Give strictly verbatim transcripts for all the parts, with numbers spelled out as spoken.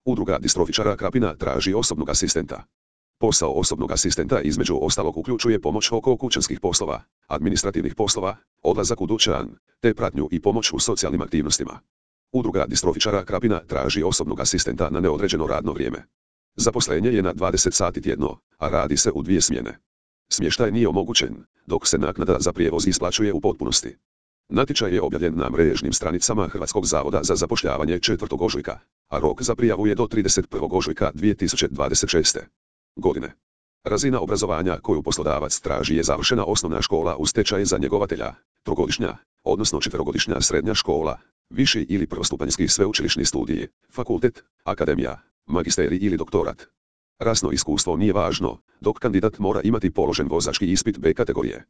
Udruga distrofičara Krapina traži osobnog asistenta. Posao osobnog asistenta između ostalog uključuje pomoć oko kućanskih poslova, administrativnih poslova, odlazak u dućan, te pratnju i pomoć u socijalnim aktivnostima. Udruga distrofičara Krapina traži osobnog asistenta na neodređeno radno vrijeme. Zaposlenje je na dvadeset sati tjedno, a radi se u dvije smjene. Smještaj nije omogućen, dok se naknada za prijevoz isplaćuje u potpunosti. Natječaj je objavljen na mrežnim stranicama Hrvatskog zavoda za zapošljavanje četvrtog ožujka, a rok za prijavu je do trideset prvog ožujka dvije tisuće dvadeset šeste. godine. Razina obrazovanja koju poslodavac traži je završena osnovna škola uz tečaj za njegovatelja, trogodišnja, odnosno četverogodišnja srednja škola, viši ili prvostupanjski sveučilišni studij, fakultet, akademija, magisterij ili doktorat. Rasno iskustvo nije važno, dok kandidat mora imati položen vozački ispit B kategorije.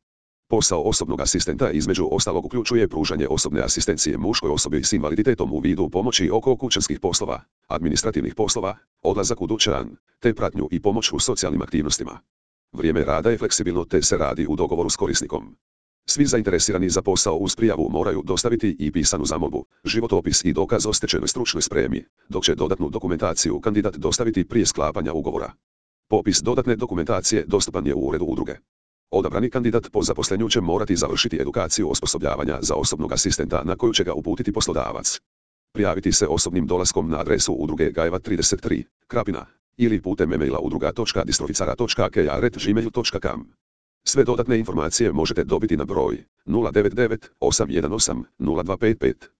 Posao osobnog asistenta između ostalog uključuje pružanje osobne asistencije muškoj osobi s invaliditetom u vidu pomoći oko kućanskih poslova, administrativnih poslova, odlazak u dućan, te pratnju i pomoć u socijalnim aktivnostima. Vrijeme rada je fleksibilno te se radi u dogovoru s korisnikom. Svi zainteresirani za posao uz prijavu moraju dostaviti i pisanu zamolbu, životopis i dokaz o stečenoj stručnoj spremi, dok će dodatnu dokumentaciju kandidat dostaviti prije sklapanja ugovora. Popis dodatne dokumentacije dostupan je u uredu udruge. Odabrani kandidat po zaposlenju će morati završiti edukaciju osposobljavanja za osobnog asistenta na koju će ga uputiti poslodavac. Prijaviti se osobnim dolaskom na adresu udruge Gajeva trideset tri, Krapina, ili putem e-maila udruga točka distroficara točka k a at gmail točka com. Sve dodatne informacije možete dobiti na broj nula devet devet osam jedan osam nula dva pet pet.